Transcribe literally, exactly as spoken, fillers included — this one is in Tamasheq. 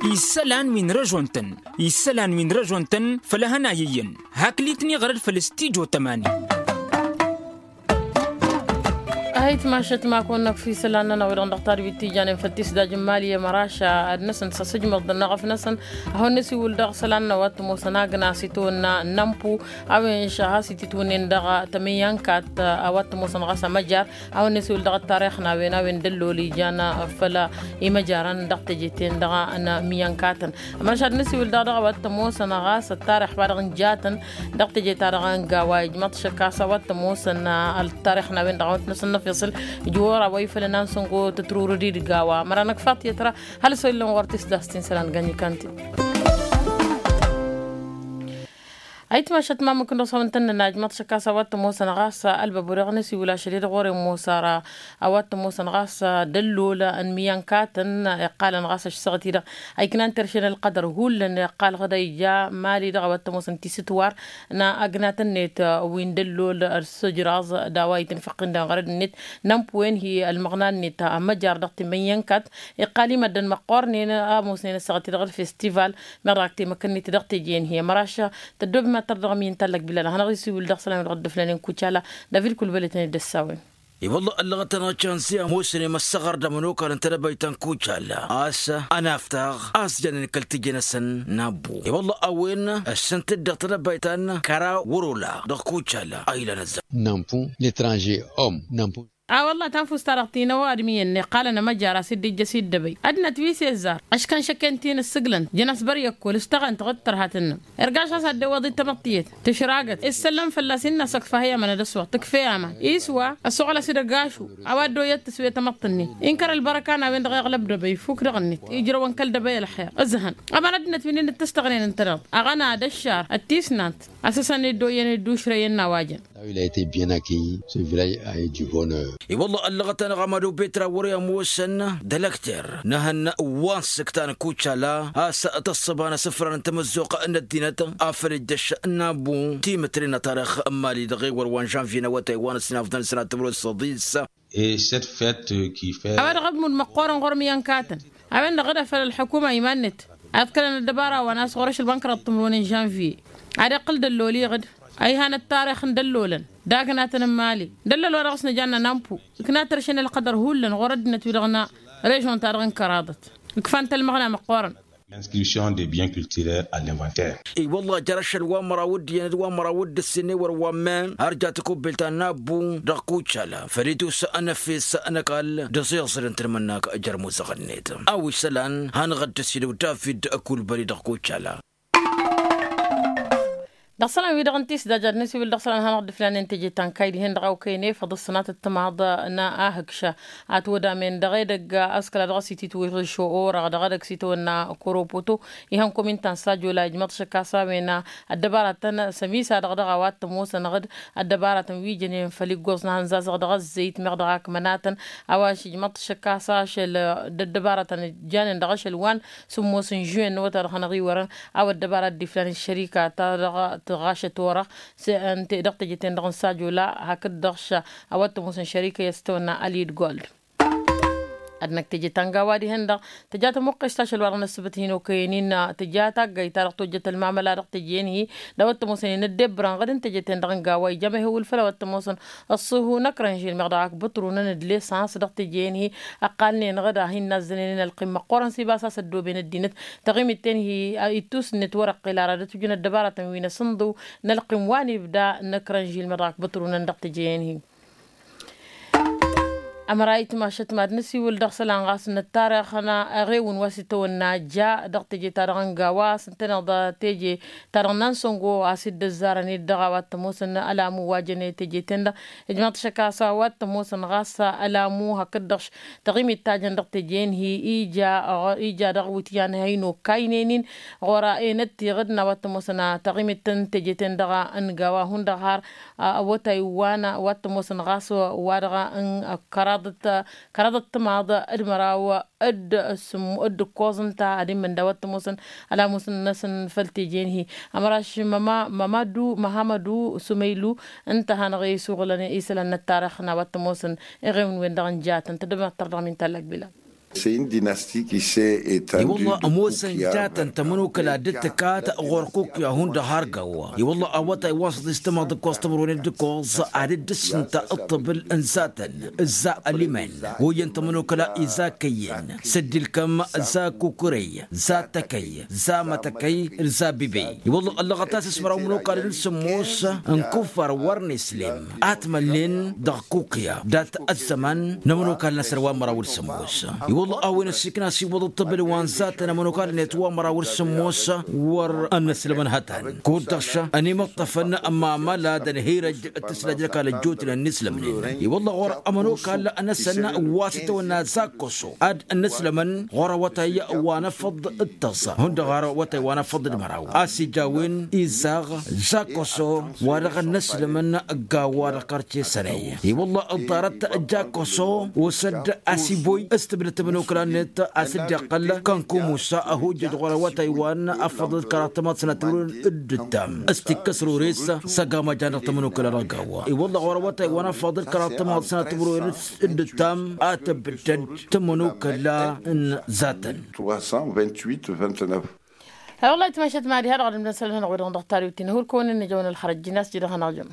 Isălan wi n-răžon-tăn isălan wi n-răžon-tăn făll-ehăn a iyyăn. Hakli-tăn iɣrăd făll-stijo tămani. Ahăyt mašăt ma kăwăn-năkf isălan-nănăɣ wi-dăɣ n-dăɣ-tadwit tijanen făll-tisdaj n-imali i-măraša ad-năsăn s-asǝjmăḍ dăɣ-năɣ ăfnăsăn. Ad-hawăn-năsiwǝl dăɣ-isălan-nănăɣ wa t-ămoosăn agnas itawănna n-ampu a-wen šăha s-ititwǝnnen dăɣ-tămǝyyankat a wa t-ămoosăn ɣas amăjar. A-wen nesiwǝl dăɣ-ăttarix n-a-wen a-wen d-ăllol ijan făll-imăjarăn dăɣ-teje-ten-dăɣ n-imǝyyănkatăn. Ămănăšad nesiwǝl daɣ dăɣ-a-wa t-ămoosăn ɣas ăttarix wa dăɣ-nǝjatăn dăɣ-teje-ta-dăɣ n-gawa ijmăḍ šăkk a-s a-wa t-ămoosăn ăltarix n-a-wen-dăɣ a-wa t-năsăn n-ăfiṣǝl. Ǝjwăr a-wa ifălăn a n-săngo tătrurǝd-dd gawa măra năkfa tiyyăt ra. Hal s-o illăn ɣur-t isdastin isălan gănjǝkan-t-dd. Ayǝtmašăt ma mǝkǝn-dăɣ s-a-wen tăn-nǝnna ijmăḍ šăkk a-s a-wa t-ămoosăn ɣas ălbăbur iɣnǝs iwǝl ašăl-i-dăɣ ɣur-e ămoos ara. A-wa t-ămoosăn ɣas d-ăllol n-imǝyyănkatăn iqqalăn ɣas ăššăɣăt-i-dăɣ a iknan terše n-ălqădăr hullan iqqal ɣǝda ija mali-dăɣ a-wa t-ămoosăn tisǝtwar n-agnat-net wi n-dăllol d-sǝjraẓ d-a-wa itǝnfăqqin dăɣ-inɣărăd-net n-ănpǝwen hi-ălmăɣna-net ămăjar dăɣ-timǝyyănkat. Iqqal i-măddăn măqqornen a ămoosnen ăssaɣăt-i-dăɣ d-festival meɣ dăɣ-ak temăkănnit dăɣ-teje-en hi-ămăraš. Tăddoobem ad-tărdăɣăm i-ǝntallăk bilal ad-hanăɣ-isiwǝl dăɣ-isălan wi dăɣ-dd-ǝflanen kucala. David kulbăl i-tăn-dd-ăssawen. I-wălla ăllăɣăt-anăɣ čănsi a ămoosnem ăssaɣăr d-amănokal n-tedăbayt ta n-kucala a-s ănaftăɣ a-s jannen kăl-teje-năsăn n-abbu i-wălla a-wen ăssănt-dd dăɣ-tedăbayt ta n-kăra wăr-ola dăɣ-kucala a ilan ăzzăɣ. N-anfu n-etranže om n-anfu. A-wălla tanfust-ta-dăɣ tinăwwa ad-miyăn iqqalăn amăjar a-s dd-ijjăs i-dd-ăbăy ăddinăt wi s-izzar ăškăn šăkken ti n-ǝssǝglăn jăn-as băr i-ăkkol ǝštăɣăn-tăɣ d-tărha tǝnnăm. Irgaš a-s ad-dd-iwwăḍ-dd tamăḍt tiyyăt tǝšragăt issăllăm fălla-s innă a-s ăkfa hi-aman ad-ăswăɣ tǝkfe aman iswa ăssoɣăl-as-dd ăgašu. A-wa dd-oyyăt tǝswe tamăḍt-ǝnnin inkăr ălbărăka n-a-wen-dăɣ iɣlăb d-ăbăy ifuk dăɣ-net ijrăwăn kăl-dăbăy ălxer ǝzhăn. Ămăra ăddinăt wi n-inǝttǝstăɣnen ǝntăneḍ aɣăna d-ăššar d-tisnant. A-s ăsăn dd-oyyăn dd-ušrăyăn n-a-wa jăn. Wi la ite bien aki s-vilaj a iji bonăr. I-wălla ăllăɣăt-anăɣ amădu betra wăr-i ămoosăn d-ălăkter n-ehăn wa n-sǝktan kucala a-s tăṣṣăba n-asǝfran n-tamăzzuɣt n-ăddinăt afăl ijjăš n-abu timǝtre n-atarix n-mali dăɣ-ewăr wa n-žanvye n-awătay wa n-ăssinafḍăn sănatămro s-săḍis. E cette fête qui fait. A-wa dăɣ-ăbmud măqqoorăn ɣur-miyănkatăn a-wen-dăɣ d-afăl ălḥukuma iman-net ad-kălăn ăddăbara wa n-a-s ɣur-ašăl wa n-kăraḍ timǝrwen n-žanvye. Ad-iqqǝl dăllol iɣǝd a ihan ăttarix n-dăllolăn d-agnatăn n-mali. Dăllol wa dăɣ-s nǝjanna n-ampu ǝkna tărše n-ălqădăr hullan ɣur-ăddinăt-wi-dăɣ n-režon-ta-dăɣ n-kăraḍăt. Ǝkfan-t ălmăɣna măqqoorăn. Inscription des biens culturels à l'inventaire. I-wălla jer-ašăl wa n-măraw d-iyyăn d-wa n-măraw d-ǝssin ewăr wa n-men har ja tăkubbelt ta n-abbu dăɣ-kucala făl-i-tusǝnăfes n-ăkall d-aẓiẓăd n-tǝlmǝnnak jer-imuzăɣ-net. A-wa isălan hanăɣ-dd-ăsidăw david kulbăli dăɣ-kucala. Dăɣ-isălan-wi-dăɣ n-tisdaj ad-nǝsiwǝl dăɣ-isălan hanăɣ-dd-ǝflanen teje ta n-kayy dihen-dăɣ a okăyăn efăḍ ǝssănat d-timaḍ n-ahǝkša. Atwădamen dăɣ-edăgg a-s kăla dăɣ-s ititwǝžžo orăɣ dăɣ-edăgg s-itawănna koropoto ihăn komin ta n-sajola ijmăḍ šăkk a-s a-wen ăddăbaratăn sămisa-dăɣ dăɣ-a-wa t-ămoosăn ăɣ-dd ăddăbaratăn wi jănen făll-iggoẓ n-ahăn zazăɣ dăɣ-ăzzăyt meɣ dăɣ-ak mănatăn. A-wa s-ijmăḍ šăkk a-s ašăl d-ăddăbaratăn janen dăɣ-ašăl wa n-sǝmmos n-žuwen n-awătay dăɣ-hanăɣ-iwărăn. A-wa ăddăbara dd-iflan ăššărika ta dăɣ-tăɣašăt orăɣ s-ănte dăɣ-teje-ten-dăɣ n-sajola hakd-dăɣ š-a-wa t-ămoosăn šărika i-ăstăwănna alid gold. Ad-năkk teje ta n-gawa dihen-dăɣ tǝja tămuqqes ta ašăl wa dăɣ-năssǝbǝt hin-okăyăn-in tǝja taggayt ta dăɣ-tojjăt ălmamăla dăɣ-teje-en-hi d-a-wa t-ămoosăn inăddebrăn ɣǝd n-teje-ten-dăɣ n-gawa ija mehewǝl făll-a-wa t-ămoosăn ăṣṣuhu n-ăkrănžil meɣ dăɣ-ak bǝṭrunăn d-lesăns dăɣ-teje-en-hi. Ăqqalnen ɣǝd a hin-nazzănen inălqim măqqoorăn s-ibas a-s ăddooben ăddinăt taɣimit-ten-hi ittus-net wăr-ăqqel ara d-ătwǝjǝn ăddăbaratăn wi n-asǝnḍǝw n-ălqim wa n-ibda n-ăkrănžil meɣ dăɣ-ak bǝṭrunăn dăɣ-teje-en-hi. Ămăra itmašăt mad-nǝsiwǝl dăɣ-isălan ɣas n-ăttarix n-eɣewǝn wa s-itawănna ja dăɣ-teje-ta-dăɣ n-gawa a-s ǝntăneḍ teje-ta-dăɣ n-ansăngo a-s dd-ăzzarăn ed dăɣ-a-wa t-ămoosăn ălamu wa jăn i-teje-ten-dăɣ. Ijmăḍ šăkk a-s a-wa t-ămoosăn ɣas ălamu hakd-dăɣ taɣimit ta jăn dăɣ-teje-en-hi ija ija dăɣ-iwǝtyan a hin-okaynen-in ɣur-enăt tiɣǝd n-a-wa t-ămoosăn taɣimit n-teje-ten-dăɣ n-gawa hundăɣ har. Awătay wa n-a-wa t-ămoosăn ɣas wa dăɣ-n kăraḍăt kăraḍăt timaḍ d-măraw d-sǝmmu d-ǝkkoẓ ǝnta ad-immǝn d-a-wa t-ămoosăn ălamus-năsăn făll-teje-en-hi. Ămăraš mămadu măhamădu sumăylu ǝnta a hanăɣ-isuɣǝlăn isălan n-ăttarix n-a-wa t-ămoosăn iɣewn-wen-dăɣ n-jatăn tăddăbem ad-tărdăɣăm inta ăllăg bila. I-wălla ămoosăn jatăn tămănokăla d-tǝkat ɣur-kukya hundăɣ har gawa. I-wălla awătay wa s-tǝstămăɣ d-ǝkkoẓ tămărwen d-ǝkkoẓ ad-dd-ǝssǝnta ǝṭṭăbǝl n-zatăn. Za ălimen, oyăn tămănokăla iza kăyy-en, s-dd-ilkăm za kukurăy, za tăkăy, za mătăkăy, za bibey. I-wălla ăllăɣăt a-s s-măraw n-imănokalăn d-sǝmmos n-kuffar wăr n-islim, a t-mălnen dăɣ-kukya dat-ăzzăman n-imănokalăn a-s ărwa măraw d-sǝmmos. I-wălla a-wen ăssiikna a-s iwwăḍ ǝṭṭăbǝl wa n-zatăn imănokalăn i-ătwamăraw d-sǝmmos wăr ănnăslămăn hătan. Kud-dăɣ šăn ănimăṭṭăfăn mamăla d-ănhirăj d-tǝsla d-ăkall ăjjootnen ănnislămnen. I-wălla ɣur-ămănokal ănăsăn wa s-itawănna zakkoso ad-ănnăslămăn ɣur-awătay wa n-afăḍ d-tăẓẓa hundăɣ ɣur-awătay wa n-afăḍ d-măraw a-s ija a-wen izaɣ. Zakkoso wa dăɣ-ănnăslămăn ăgg-a-wa dăɣ-kărce sănăy. I-wălla ǝḍarăt jakkoso osăd asiboy s-tǝbdăt tămănokăla-net a-s dd-iqqăl kănkumusa ăhujjăj ɣur-awătay wa n-afăḍ d-kăraḍ tămaḍ sănat timǝrwen d-ǝttam s-tikkăs rures. S-ăgg-a măjjan dăɣ-tămănokăla dăɣ-gawa i-wălla ɣur-awătay wa n-afăḍ d-kăraḍ tămaḍ sănat timǝrwen d-ǝttam a tǝbdăd tămănokăla n-zatăn. Trois cent vingt-huit vingt-neuf. Wăllah ătmăšat mad-iha dăɣ-ad-ǝmdăn isălan-nănăɣ wi-dăɣ dăɣ-tariwt-in hur-kăwăn-in-ijăwăn ălxărăj-in a-s jidăɣ hanăɣ-jăm.